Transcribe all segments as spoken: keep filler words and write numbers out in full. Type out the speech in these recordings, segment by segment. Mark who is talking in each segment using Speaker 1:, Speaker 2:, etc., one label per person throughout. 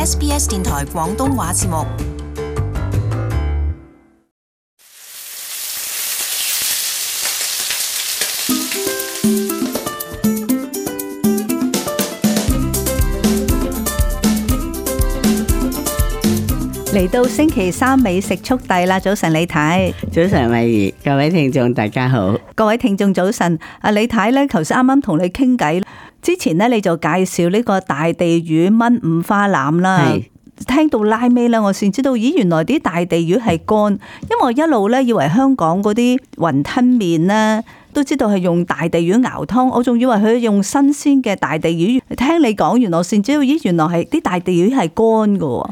Speaker 1: S B S 電台廣東話節目。
Speaker 2: 嚟到星期三美食速遞啦！早晨李太，
Speaker 3: 早晨慧怡，各位聽眾大家好，
Speaker 2: 各位聽眾早晨。阿李太咧，頭先啱啱同你傾偈之前咧，你就介紹呢個大地魚炆五花腩啦。係聽到拉尾咧，我先知道，咦，原來啲大地魚係乾，因為我一路咧以為香港嗰啲雲吞麵咧都知道係用大地魚熬湯，我仲以為佢用新鮮嘅大地魚。聽你講，原來我先知道，咦，原來係啲大地魚係乾噶。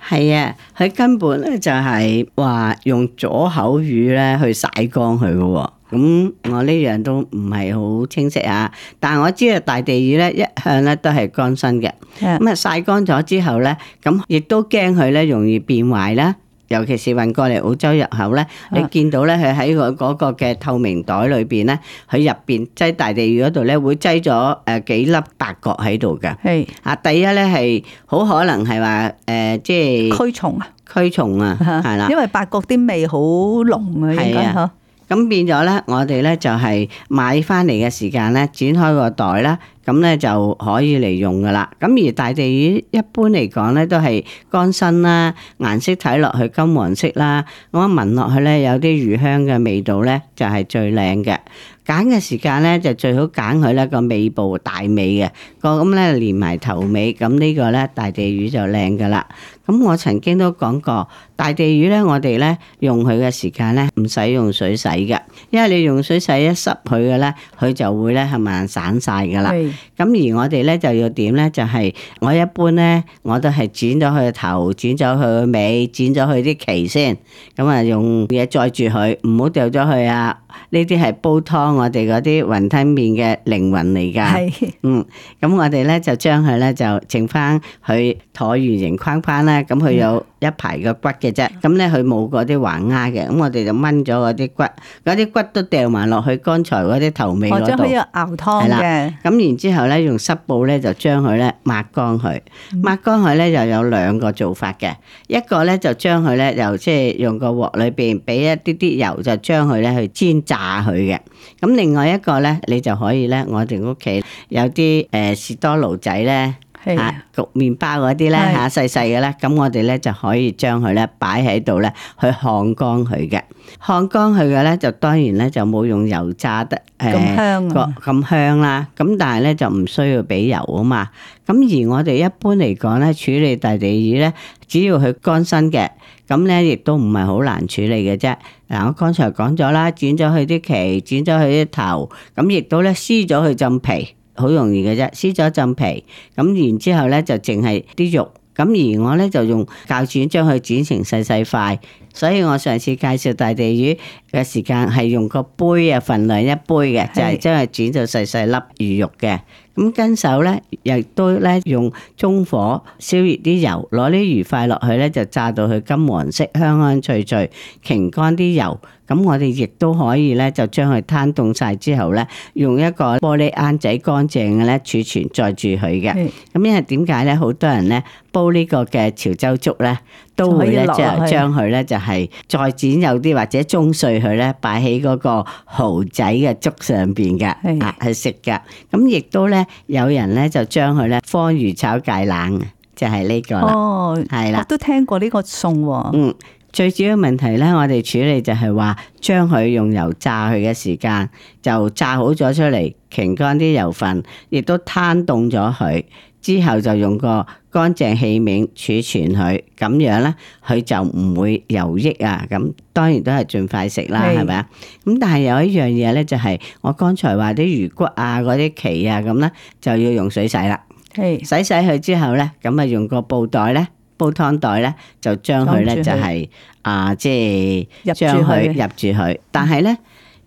Speaker 3: 係啊，佢根本咧就係話用左口魚咧去曬乾佢嘅，咁我呢樣都唔係好清晰啊。但係我知道大地魚咧一向咧都係乾身嘅，咁啊曬乾咗之後咧，咁亦都驚佢咧容易變壞啦。尤其是運過嚟澳洲入口咧，你見到咧佢喺個嗰個嘅透明袋裏邊咧，佢入邊擠大地魚嗰度咧會擠咗誒幾粒八角喺度嘅。係啊，第一咧係好可能係話誒，即係
Speaker 2: 驅蟲啊，
Speaker 3: 驅蟲啊，係啦，
Speaker 2: 因為八角啲味好濃啊，應該嚇。咁
Speaker 3: 變咗咧，我哋咧就係買翻嚟嘅時間咧，剪開個袋啦。咁咧就可以嚟用噶啦。咁而大地魚一般嚟講咧都係乾身啦，顏色睇落去金黃色啦，咁聞落去咧有啲魚香嘅味道咧就係最靚嘅。揀嘅時間咧就最好揀佢咧個尾部大尾嘅個，咁咧連埋頭尾，咁呢個咧大地魚就靚噶啦。咁我曾經都講過，大地魚咧我哋咧用佢嘅時間咧唔使用水洗嘅，因為你用水洗一濕佢嘅咧，佢就會咧係咪散晒噶啦。咁而我哋咧就要點咧？就係、是、我一般咧，我都係剪咗佢個頭，剪咗佢個尾，剪咗佢啲鰭先。咁啊，用嘢載住佢，唔好掉咗佢啊！呢啲係煲湯我哋嗰啲雲吞麵嘅靈魂嚟㗎。係，嗯，咁我哋咧就將佢咧就剩翻佢橢圓形框框啦。咁佢有一排個骨嘅啫。咁咧佢冇嗰啲橫丫嘅。咁我哋就掹咗嗰啲骨，嗰啲骨都掉埋落去剛才嗰啲頭尾嗰度。或者可以熬湯嘅。咁然之後咧，用濕布咧就將佢咧抹乾佢。抹乾佢咧就有兩個做法嘅。一個咧就將佢咧又即係用個鑊裏邊俾一啲啲油，就將佢咧去煎炸佢嘅。咁另外一個咧，你就可以咧，我哋屋企有啲誒士多爐仔咧。嚇焗麵包嗰啲咧嚇細細嘅咧，咁我哋咧就可以將佢咧擺喺度咧去烘乾佢嘅。烘乾佢嘅咧就當然咧就冇用油炸得誒咁香啊咁香啦。咁但係咧就唔需要俾油啊嘛。咁而我哋一般嚟講咧處理大地魚咧，只要佢乾身嘅，咁咧亦都唔係好難處理嘅啫。嗱，我剛才講咗啦，剪咗佢啲鰭，剪咗佢啲頭，咁亦都咧撕咗佢浸皮。好容易嘅啫，撕咗浸皮，咁然之後咧就淨係啲肉，咁而我咧就用鉸剪將佢剪成細細塊，所以我上次介紹大地魚嘅時間係用個杯啊，份量一杯嘅，就係將佢剪到細細粒魚肉嘅。咁跟手咧，亦都咧用中火燒熱啲油，攞啲魚塊落去咧，就炸到佢金黃色，香香脆脆，擎乾啲油。咁我哋亦都可以咧，就將佢攤凍晒之後咧，用一個玻璃罌仔乾淨嘅咧儲存載住佢嘅。咁因為點解咧？好多人咧煲呢個嘅潮州粥咧，都會咧就將佢咧就係再剪幼啲或者中碎佢咧，擺喺嗰個蠔仔嘅粥上邊嘅，啊去食㗎。咁亦都咧有人咧就將佢咧方魚炒芥蘭，就係呢個啦。哦，係啦，
Speaker 2: 我都聽過呢個餸喎。
Speaker 3: 嗯。最主要問題咧，我哋處理就係話將佢用油炸佢嘅時間就炸好咗出嚟，擎乾啲油分，亦都攤凍咗佢之後，就用個乾淨器皿儲存佢，咁樣咧佢就唔會油溢啊。咁當然都係盡快食啦，係咪啊？咁但係有一樣嘢咧，就係我剛才話啲魚骨啊、嗰啲鰭啊咁咧，就要用水洗啦。係洗洗佢之後咧，咁啊用個布袋咧。煲湯袋咧就將佢咧就係啊，即係將佢入住佢。但係咧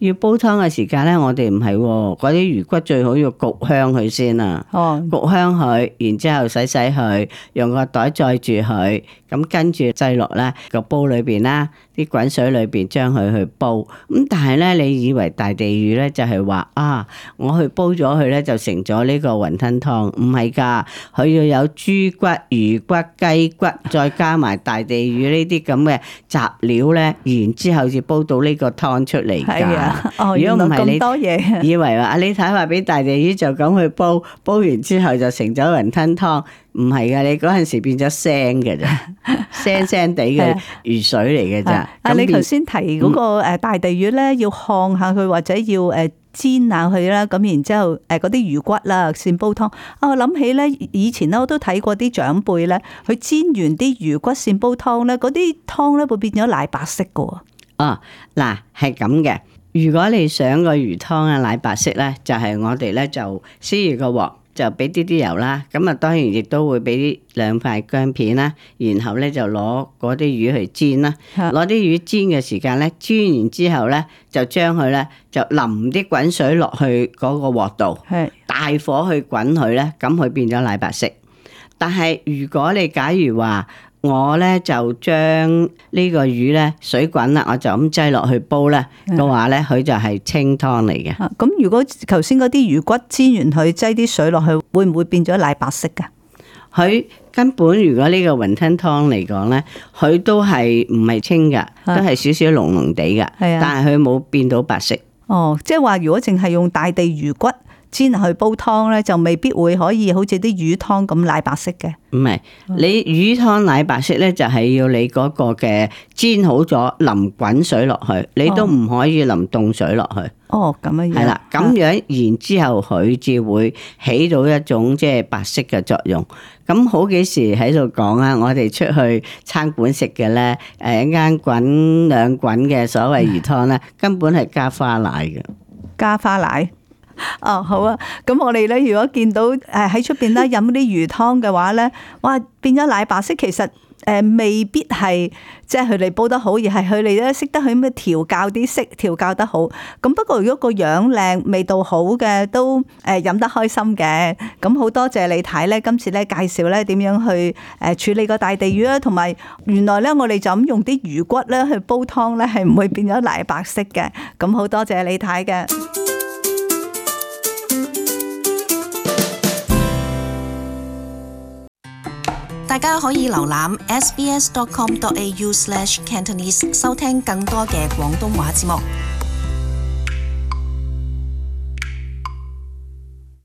Speaker 3: 要煲湯嘅時間咧，我哋唔係喎，嗰啲魚骨最好要焗香佢先啊。哦，焗香佢，然之後洗洗佢，用個袋載住佢，咁跟住擠落咧個煲裏邊啦，啲滾水裏邊將佢去煲。咁但係咧，你以為大地魚咧就係話啊，我去煲咗佢咧就成咗呢個雲吞湯？唔係噶，佢要有豬骨、魚骨、雞骨，再加埋大地魚呢啲咁嘅雜料咧，然之後至煲到呢個湯出嚟噶。
Speaker 2: 哦，如果唔係你多嘢，
Speaker 3: 以為話阿李太話俾大地魚就咁去煲，煲完之後就成咗雲吞湯，唔係噶，你嗰陣時變咗腥嘅咋，腥腥地嘅魚水嚟嘅咋。
Speaker 2: 啊，你頭先提嗰個誒大地魚咧，要烘下佢或者要誒煎下佢啦，咁然之後誒嗰啲魚骨啦先煲湯。啊，我諗起咧，以前咧我都睇過啲長輩咧，佢煎完啲魚骨先煲湯咧，嗰啲湯咧會變咗奶白色噶。
Speaker 3: 哦，嗱，係咁嘅。如果你想個魚湯啊奶白色咧，就係、是、我哋咧就燒熱個鑊，就俾啲啲油啦。咁啊，當然亦都會俾兩塊薑片啦。然後咧就攞嗰啲魚去煎啦。攞啲魚煎嘅時間咧，煎完之後咧，就將佢咧就淋啲滾水落去嗰個鑊度，大火去滾佢咧，咁佢變咗奶白色。但係如果你假如話，我咧就將呢個魚咧水滾啦，我就咁擠落去煲咧嘅話咧，佢就係清湯嚟嘅。
Speaker 2: 咁如果頭先嗰啲魚骨煎完佢擠啲水落去，會唔會變咗奶白色噶？
Speaker 3: 佢根本如果呢個雲吞湯嚟講咧，佢都係唔係清噶，都係少少濃濃地噶。係啊，但係佢冇變到白色。哦，
Speaker 2: 即係話如果淨係用大地魚骨煎去煲湯咧，就未必會可以好似啲魚湯咁奶白色嘅。
Speaker 3: 唔係，你魚湯奶白色咧，就係要你嗰個嘅煎好咗，淋滾水落去，你都唔可以淋凍水落去。
Speaker 2: 哦，咁樣樣。係
Speaker 3: 啦，咁樣然之後佢至會起到一種即係白色嘅作用。咁好幾時喺度講啊，我哋出去餐館食嘅咧，誒一間滾兩滾嘅所謂魚湯咧，根本係加花奶嘅。
Speaker 2: 加花奶。哦，好啊！咁我哋咧，如果見到誒喺出邊咧飲啲魚湯嘅話咧，哇，變咗奶白色，其實誒未必係即係佢哋煲得好，而係佢哋咧識得去咩調教啲色，調教得好。咁不過如果個樣靚、味道好嘅，都誒飲得開心嘅。咁好多謝李太咧，今次咧介紹咧點樣去誒處理個大地魚啦，同埋原來咧我哋就咁用啲魚骨咧去煲湯咧，係唔會變咗奶白色嘅。咁好多謝李太嘅。
Speaker 1: 大家可以瀏覽 s b s dot com dot a u slash cantonese 收聽更多嘅廣東話節目。